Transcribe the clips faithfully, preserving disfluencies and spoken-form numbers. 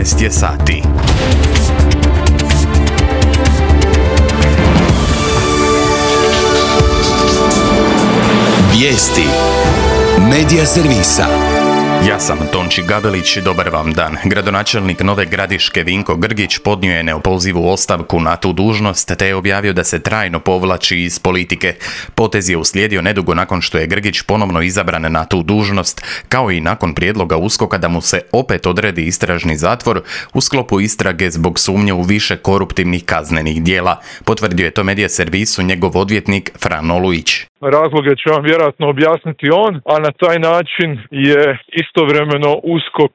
šesnaest je sati. Vijesti Medija servisa. Ja sam Tonči Gabelić, dobar vam dan. Gradonačelnik Nove Gradiške Vinko Grgić podnio je neopozivu ostavku na tu dužnost te je objavio da se trajno povlači iz politike. Potez je uslijedio nedugo nakon što je Grgić ponovno izabran na tu dužnost, kao i nakon prijedloga USKOK-a da mu se opet odredi istražni zatvor u sklopu istrage zbog sumnje u više koruptivnih kaznenih djela. Potvrdio je to Medija servisu njegov odvjetnik Fran Olujić. Razloge će vam vjerojatno objasniti on, a na taj način je istovremeno USKOK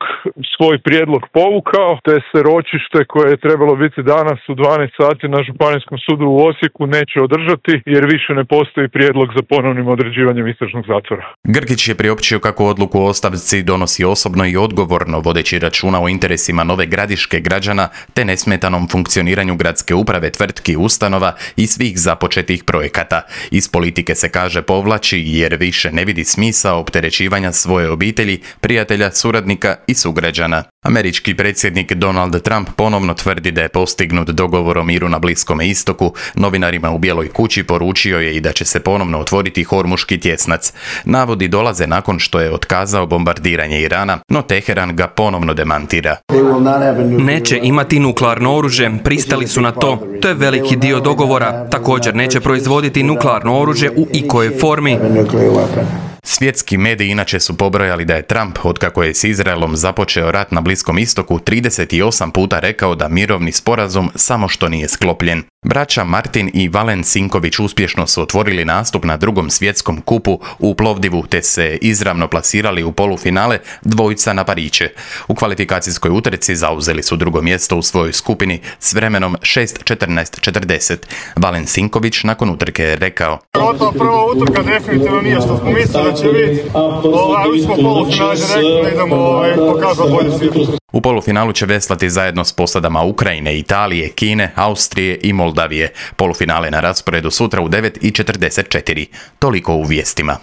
svoj prijedlog povukao, te se ročište koje je trebalo biti danas u dvanaest sati na Županijskom sudu u Osijeku neće održati jer više ne postoji prijedlog za ponovnim određivanjem istražnog zatvora. Grgić je priopćio kako odluku o ostavci donosi osobno i odgovorno, vodeći računa o interesima Nove Gradiške građana te nesmetanom funkcioniranju gradske uprave, tvrtki, ustanova i svih započetih projekata. Iz politike se kaže povlači jer više ne vidi smisao opterećivanja svoje obitelji, prijatelja, suradnika i sugrađana. Američki predsjednik Donald Trump ponovno tvrdi da je postignut dogovor o miru na Bliskome istoku. Novinarima u Bijeloj kući poručio je i da će se ponovno otvoriti Hormuški tjesnac. Navodi dolaze nakon što je otkazao bombardiranje Irana, no Teheran ga ponovno demantira. Neće imati nuklearno oružje, pristali su na to. To je veliki dio dogovora. Također neće proizvoditi nuklearno oružje u ikojoj formi. Svjetski mediji inače su pobrojali da je Trump, otkako je s Izraelom započeo rat na Bliskom istoku, trideset osam puta rekao da mirovni sporazum samo što nije sklopljen. Braća Martin i Valen Sinković uspješno su otvorili nastup na drugom svjetskom kupu u Plovdivu te se izravno plasirali u polufinale dvojica na pariće. U kvalifikacijskoj utrci zauzeli su drugo mjesto u svojoj skupini s vremenom šest četrnaest četrdeset. Valen Sinković nakon utrke je rekao: Ova prva utrka definitivno nije što smo mislili da će biti. Ovaj, ući smo polufinale direktno, idemo ovaj, pokazati bolje svijet. U polufinalu će veslati zajedno s posadama Ukrajine, Italije, Kine, Austrije i Moldavije. Polufinale na rasporedu sutra u devet i četrdeset četiri. Toliko u vijestima.